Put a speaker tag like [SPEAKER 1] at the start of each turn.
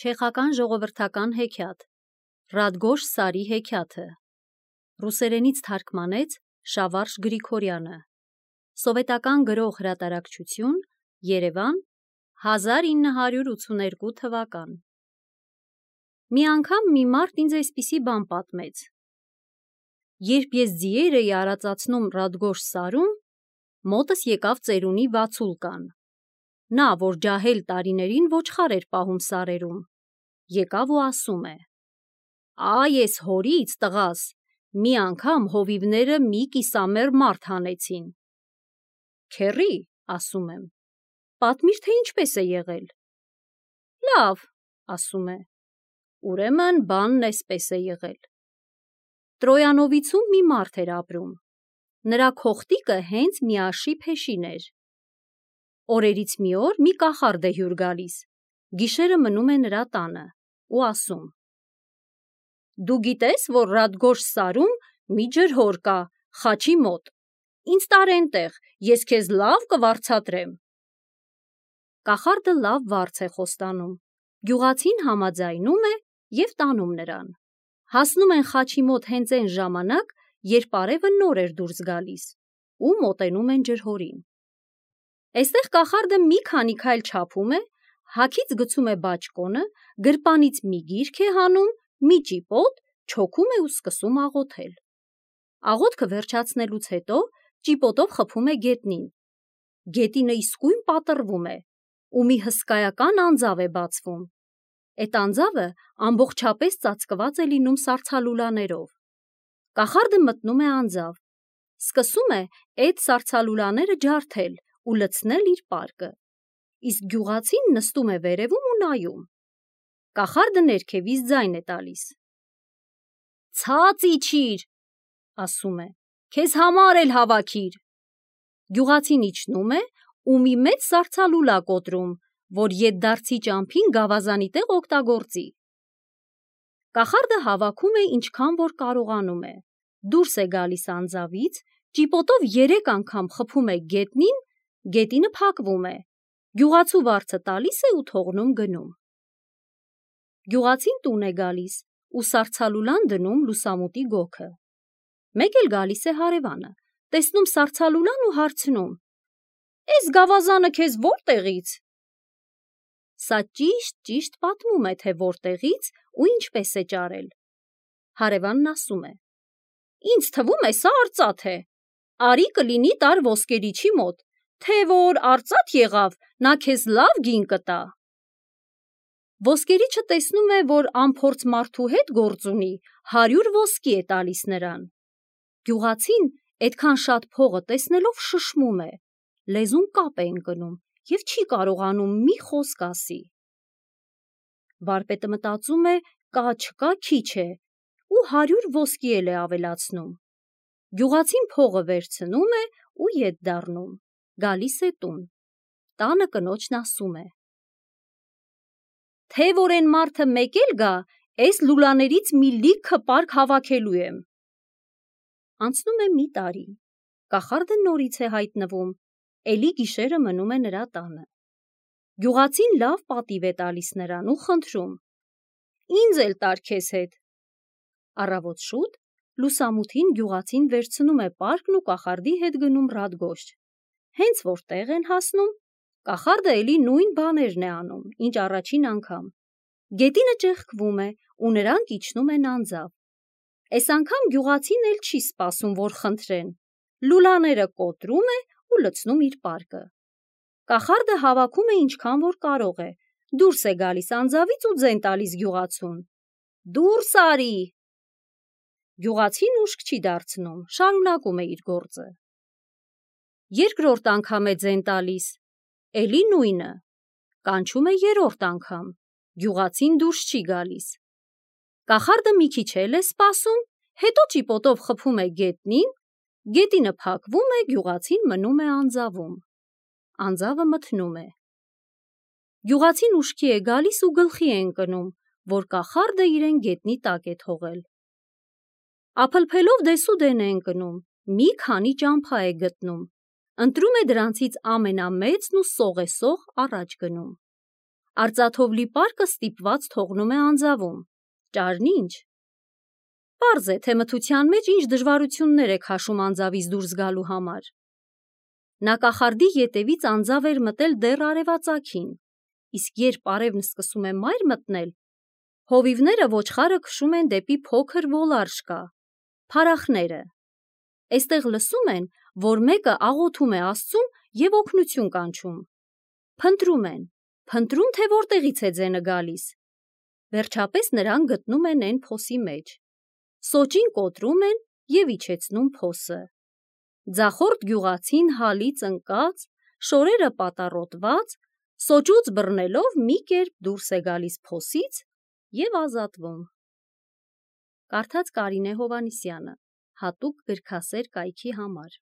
[SPEAKER 1] Չեխական ժողովրդական հեքիաթ Ռադգոշ Սարի հեքիաթը Ռուսերենից թարգմանեց Շավարժ Գրիգորյանը Սովետական գրող հրատարակչություն Երևան 1982 թվական Մի անգամ մի մարդ ինձ այսպիսի բան պատմեց. Երբ ես ձիեր էի արածացնում Ռադգոշ Սարում, մոտս եկավ ծերունի Վացուլկան. նա, որ ջահել տարիներին ոչխար էր պահում սարերում, եկավ ու ասում է. «Այ ես հորից, տղաս, մի անգամ հովիվները մի կիսամեռ մարդ հանեցին»։ «Քեռի», ասում եմ, «պատմիր, թե ինչպես է եղել»։ «Լավ», ասում է, «ուրեմն բանն էսպես է եղել. Տրոյանովիցում մի մարդ էր ապրում, նրա քողտիկը հենց միաշի փեշին էր։ Օրերից մի օր մի կախարդ է հյուր գալիս, գիշերը մնում է նրա տանը ու ասում. «Դու գիտես, որ Ռադգոշ Սարում մի ջրհոր կա խաչի մոտ, ինձ տար էնտեղ, ես քեզ լավ կվարձատրեմ»։ Կախարդը լավ վարձ է խոստանում, գյուղացին համաձայնում է և տանում նրան։ Հասնում են խաչի մոտ հենց այն ժամանակ, երբ արևը նոր էր դուրս գալիս, ու մոտենում են ջրհորին։ Այստեղ կախարդը մի քանի քայլ չափում է, հագից գցում է բաճկոնը, գրպանից մի գիրք է հանում, մի ճիպոտ, չոքում է ու սկսում աղոթել։ Աղոթքը վերջացնելուց հետո ճիպոտով խփում է գետնին։ Գետինը իսկույն պատռվում է, ու մի հսկայական անձավ է բացվում։ Էդ անձավը ամբողջապես ծածկված է լինում սառցալուլաներով։ Կախարդը մտնում է անձավ, սկսում է այդ սառցալուլաները ջարդել ու լցնել իր պարկը, իսկ գյուղացին նստում է վերևում ու նայում։ Կախարդը ներքևից ձայն է տալիս. «Ցած իջիր», ասում է, «քեզ համար էլ հավաքիր»։ Գյուղացին իջնում է ու մի մեծ սառցալուլա կոտրում, որ ետդարձի ճամփին գավազանի տեղ օգտագործի։ Կախարդը հավաքում է ինչքան որ կարողանում է, դուրս է գալիս անձավից, ճիպոտով 3 անգամ խփում է գետնին, գետինը փակվում է, գյուղացու վարձը տալիս է ու թողնում գնում։ Գյուղացին տուն է գալիս ու սառցալուլան դնում լուսամուտի գոգը։ Մեկ էլ գալիս է հարևանը, տեսնում սառցալուլան ու հարցնում. «Էս գավազանը քեզ որտեղից»։ Սա ճիշտ պատմում է, թե որտեղից ու ինչպես է ճարել։ Հարևանն ասում է. «Ինձ թվում է սա արծաթ է, արի կլինի տար ոսկերիչի մոտ, թե որ արծաթ եղավ, նա քեզ լավ գին կտա»։ Ոսկերիչը տեսնում է, որ անփորձ մարդու հետ գործ ունի, 100 ոսկի է տալիս նրան։ Գյուղացին այդքան շատ փողը տեսնելով շշմում է, լեզուն կապ է ընկնում և չի կարողանում մի խոսք ասի։ Վարպետը մտածում է, կա-չկա քիչ է, ու 100 ոսկի էլ է ավելացնում։ Գյուղացին փողը վերցնում է ու ետ դառնում, գալիս է տուն։ Տանը կնոջն ասում է. «Թե որ էն մարդը մեկ էլ գա, էս լուլաներից մի լիքը պարկ հավաքելու եմ»։ Անցնում է մի տարի, կախարդը նորից է հայտնվում, էլի գիշերը մնում է նրա տանը։ Գյուղացին լավ պատիվ է տալիս նրան ու խնդրում. «Ինձ էլ տար քեզ հետ»։ Առավոտ շուտ լուսամուտին գյուղացին վերցնում է պարկն ու կախարդի հետ գնում Ռադգոշ։ Հենց որ տեղ են հասնում, կախարդը էլի նույն բաներն է անում, ինչ առաջին անգամ։ Գետինը ճեղքվում է ու նրանք իջնում են անձավ։ Էս անգամ գյուղացին էլ չի սպասում, որ խնդրեն, լուլաները կոտրում է ու լցնում իր պարկը։ Կախարդը հավաքում է ինչքան որ կարող է, դուրս է գալիս անձավից ու ձեն տալիս գյուղացուն. «Դուրս արի»։ Գյուղացին ուշք չի դարձնում, շարունակում է իր գործը։ Երկրորդ անգամ է ձեն տալիս, էլի նույնը, կանչում է 3-րդ անգամ, գյուղացին դուրս չի գալիս։ Կախարդը մի քիչ էլ է սպասում, հետո ճիպոտով խփում է գետնին, գետինը փակվում է, գյուղացին մնում է անձավում։ Անձավը մթնում է։ Գյուղացին ուշքի է գալիս ու գլխի է ընկնում, որ կախարդը իրեն գետնի տակ է թողել։ Ափլփելով դեսուդեն է ընկնում, մի քանի ճամփա է գտնում, ընտրում է դրանցից ամենամեծն ու սողեսող առաջ գնում։ Արծաթով լի պարկը ստիպված թողնում է անձավում։ Ճարն ինչ։ Պարզ է, թե մթության մեջ ինչ դժվարություններ է քաշում անձավից դուրս գալու համար։ Նա կախարդի ետևից անձավ էր մտել դեռ արևածագին, իսկ երբ արևն սկսում է մայր մտնել, հովիվները ոչխարը քշում են դեպի փոքր ոլարժկա, փարախները։ Այստեղ լսում են, որ մեկը աղոթում է Աստծուն և օգնություն կանչում։ Փնտրում են, թե որտեղից է ձենը գալիս։ Վերջապես նրանք գտնում են էն փոսի մեջ։ Սոճին կոտրում են և իջեցնում փոսը։ Ձախորդ գյուղացին հալից ընկած, շորերը պատառոտված, սոճուց բռնելով մի կերպ դուրս է գալիս փոսից և ազատվում։ Կարդաց Կարինե Հովհաննիսյանը, հատուկ գրքասեր կայքի համար։